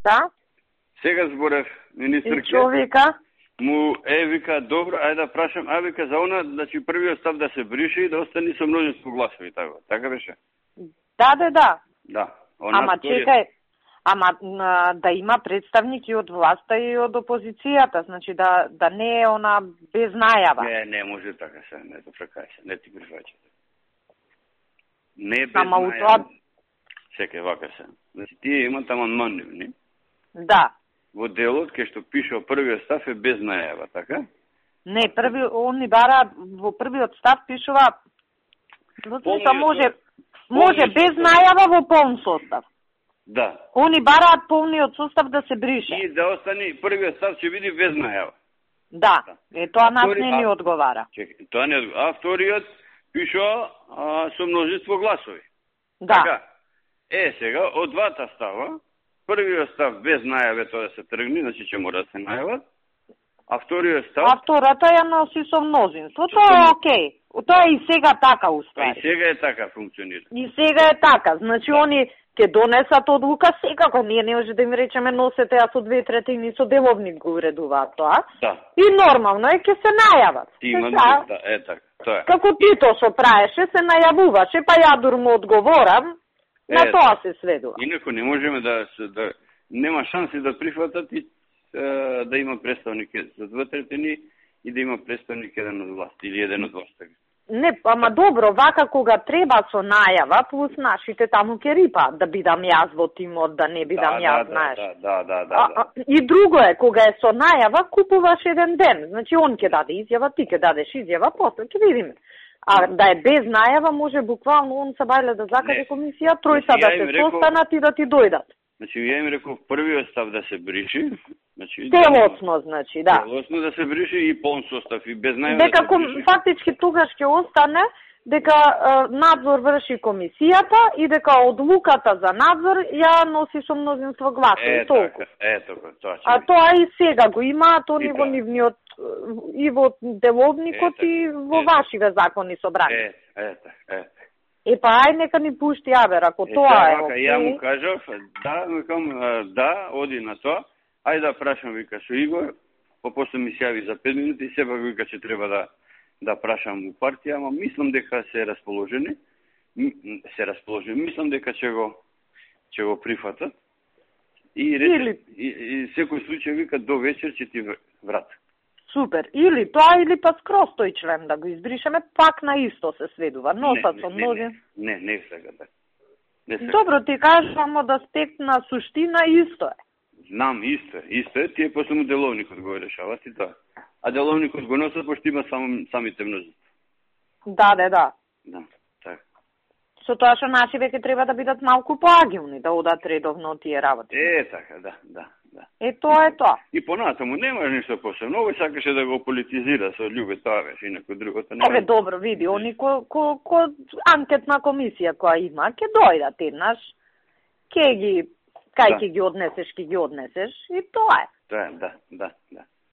Да? Сега зборев, министерке. И човека? Му вика, добро, ајде да прашам, вика за она, значи првиот став да се брише и да остане со множество гласови, така беше? Да. Да. Ама чекај, да има представники од власта и од опозицијата, значи да не е она без најава. Не може така се, не допрекај се, не ти прифаќате. Не без Ама најава. Чекај, вака се. Значи тие имат амандмани, не? Да. Во делот кај што пише првиот став е без најава, така? Не, они бараат во првиот став пишува може без најава во полн состав. Да. Они бараат полниот состав да се брише. И да остане првиот став ќе биде без најава. Да. Тоа нас не ни одговара. Чекай, тоа не одговара. А вториот пишува со множество гласови. Да. Така. Сега од двата става, првиот став без најаве тоа да се тргне, значи ќе мора да се најават. А вториот став... А втората ја носи со мнозинство. Тоа е окей. Тоа е и сега така, уствари. И сега е така функционира. И сега е така. Значи, они ќе донесат одлука секако. Ние не може да им речеме носете, а со 2/3 со деловник го уредуваат тоа. Да. И нормално е ќе се најават. Ти има така. Тоа е. Како Тито што праеше, се најавуваше, па ја му одговорам. На тоа се сведува. Инако не можеме да нема шанси да прифатат и да има представник за 2/3 и да има представник еден од власт или еден од власт. Не, ама добро, вака кога треба со најава, плюс нашите таму ќе рипаат, да бидам јас во тимот, да не бидам јас, знаеш. Да. И друго е, кога е со најава, купуваш еден ден. Значи, он ќе даде изјава, ти ќе дадеш изјава, после ќе видиме. А да е без најава, може буквално он са бајле да закаже комисија, тројца да се состанат и да ти дојдат. Значи, ја им реков првиот став да се бриши. Значи, целосно, значи, да. Целосно да се бриши и полн состав и без најава дека да се бриши. фактички тогаш ќе остане дека надзор врши комисијата и дека одлуката за надзор ја носи со мнозинство гласови. Толку. Така, тоа. А тоа и сега го има, тоа ни во нивниот и во деловникот и во вашиве закони собрани. Па ај нека ни пушти Абер, ако тоа е окей. Ја му кажав, да, оди на тоа. Ајде да прашам, вика, со Игор, после ми се јави за 5 минути и сепак вика че треба да прашам у партија, ама мислам дека се расположени. Мислам дека ќе го прифатат. И секој случај вика до вечер ќе ти врат. Супер. Или тоа, или па скроз тој член да го избришеме, пак на исто се сведува. Носат со мнозин. Не сега да. Добро, ти кажам од аспект на суштина исто е. Знам, исто е. Тие после му деловникот го решават и тоа. А деловникот го носат, пошто има самите множество. Да. Да, така. Со тоа што наши веќе треба да бидат малку поагилни, да одат редовно тие работи. Така, да. Тоа е тоа. И понатаму нема ништо посебно. Овој сакаше да го политизира со љубе, тоа беше, инако другото нема. Добро, види, они ко анкетна комисија која има, ќе дојдат еднаш, кај ќе ги однесеш и тоа е. Тоа е, да.